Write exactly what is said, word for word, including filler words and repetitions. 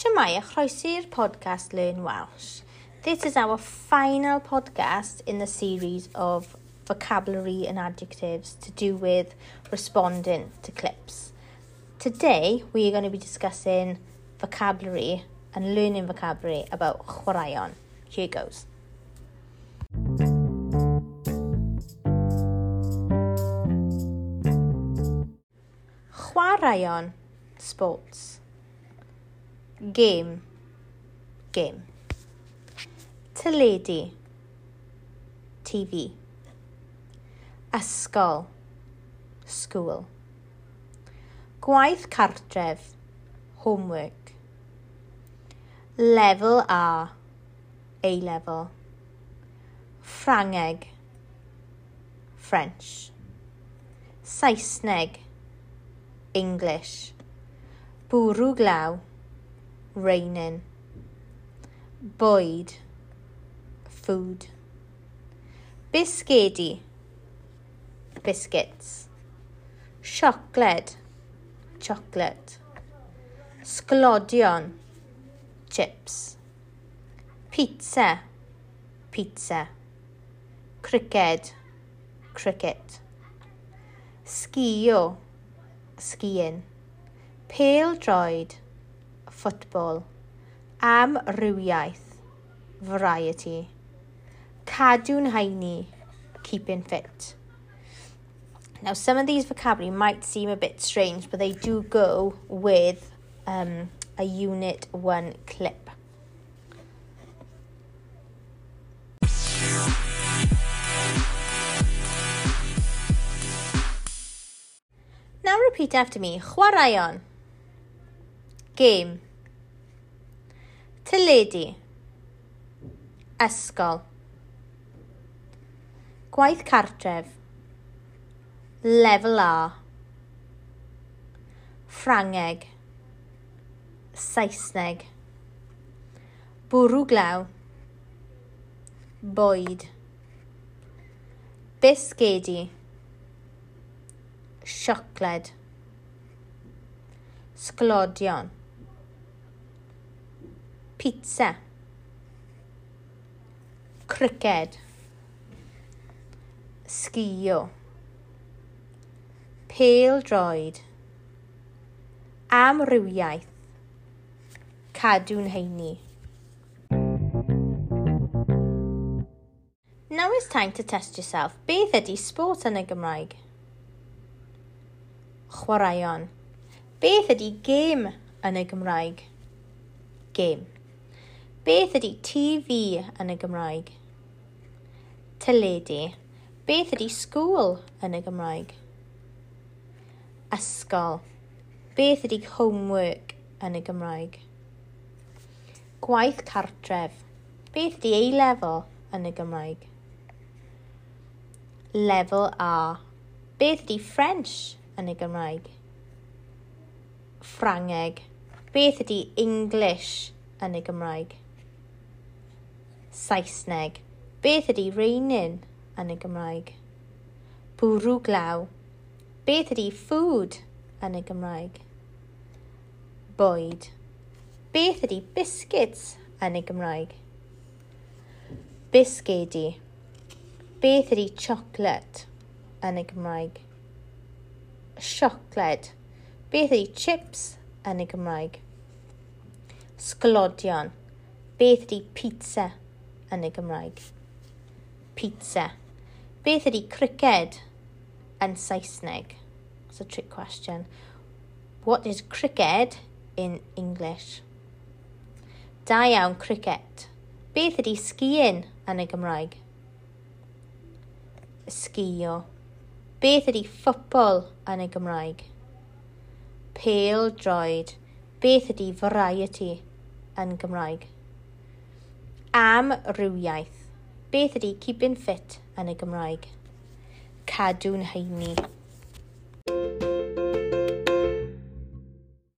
Shwmae a chroeso i'r podcast Learn Welsh. This is our final podcast in the series of vocabulary and adjectives to do with responding to clips. Today we are going to be discussing vocabulary and learning vocabulary about chwaraeon. Here goes. Chwaraeon, sports. Game, game. Teledu, T V. Ysgol, school. Gwaith cartref, homework. Lefel A, A level. Ffrangeg, French. Saesneg, English. Bwrw glaw, raining. Bwyd, food. Bisgedi, biscuits. Siocled, chocolate. Sglodion, chips. Pizza, pizza. Criced, cricket. Sgio, skiing. Pêl-droed, football. Amrywiaeth, variety. Cadw'n heini, keeping fit. Now, some of these vocabulary might seem a bit strange, but they do go with um, a Unit one clip. Now repeat after me. Chwaraeon. Game. Teledu. Ysgol. Gwaith cartref. Lefel A. Ffrangeg. Saesneg. Bwrw glaw. Bwyd. Bisgedi. Siocled. Sglodion. Pizza. Criced. Sgio. Pêl-droed. Amrywiaeth. Cadw'n heini. Now it's time to test yourself. Beth ydy sport yn y Gymraeg? Chwaraeon. Beth ydy gêm yn y Gymraeg? Game. Beth ydy T V yn y Gymraeg? Teledu. Beth ydy school yn y Gymraeg? Ysgol. Beth ydy homework yn y Gymraeg? Gwaith cartref. Beth ydy A-level yn y Gymraeg? Level A. Beth ydy French yn y Gymraeg? Ffrangeg. Beth ydy English yn y Gymraeg? Saesneg. Beth ydy raining yn y Gymraeg? Bwrw glaw. Beth ydy food yn y Gymraeg? Bwyd. Beth ydy biscuits yn y Gymraeg? Bisgedi. Beth ydy chocolate yn y Gymraeg? Siocled. Beth ydy chips yn y Gymraeg? Sglodion. Beth ydy pizza yn y Gymraeg? Pizza. Beth ydy criced yn Saesneg? It's a trick question. What is cricket in English? Da iawn, cricket. Beth ydy skiing yn y Gymraeg? Sgio. Beth ydy football yn y Gymraeg? Pêl-droed. Beth ydy variety yn Gymraeg? Amrywiaeth. Beth ydy keeping fit yn y Gymraeg? Cadw'n heini.